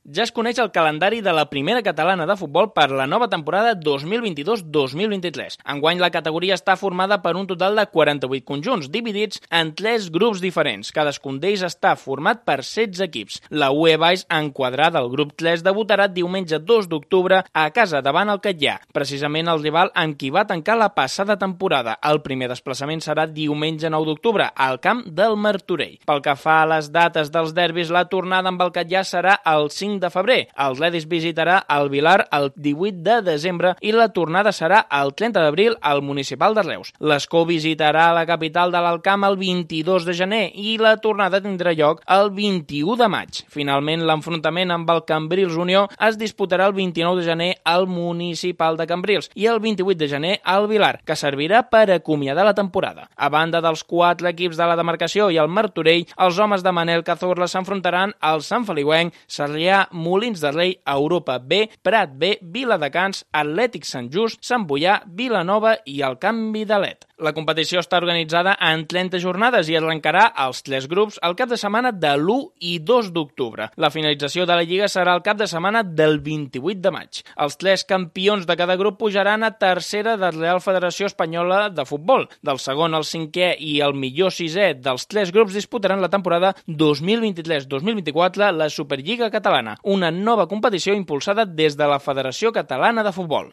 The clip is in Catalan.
Ja es coneix el calendari de la primera catalana de futbol per la nova temporada 2022-2023. Enguany la categoria està formada per un total de 48 conjunts, dividits en 3 grups diferents. Cadascun d'ells està format per 16 equips. La UE Baix, enquadrada al grup 3, debutarà diumenge 2 d'octubre a casa davant el Catllà, precisament el rival amb qui va tancar la passada temporada. El primer desplaçament serà diumenge 9 d'octubre al camp del Martorell. Pel que fa a les dates dels derbis, la tornada amb el Catllà serà el 5 de febrer. El Ledis visitarà el Vilar el 18 de desembre i la tornada serà el 30 d'abril al Municipal de Reus. L'Escó visitarà la capital de l'Alt Camp el 22 de gener i la tornada tindrà lloc el 21 de maig. Finalment, l'enfrontament amb el Cambrils Unió es disputarà el 29 de gener al Municipal de Cambrils i el 28 de gener al Vilar, que servirà per acomiadar la temporada. A banda dels 4 equips de la demarcació i el Martorell, els homes de Manel Cazorla s'enfrontaran al Sant Feliuenc, Sarrià, Molins de Rei, Europa B, Prat B, Viladecans, Atlètic Sant Just, Sant Boià, Vilanova i el Camp Vidalet. La competició està organitzada en 30 jornades i arrencarà als 3 grups el cap de setmana de l'1 i 2 d'octubre. La finalització de la Lliga serà el cap de setmana del 28 de maig. Els 3 campions de cada grup pujaran a tercera de la Real Federació Espanyola de Futbol. Del segon al 5è i el millor 6è dels 3 grups disputaran la temporada 2023-2024 la Superliga Catalana, una nova competició impulsada des de la Federació Catalana de Futbol.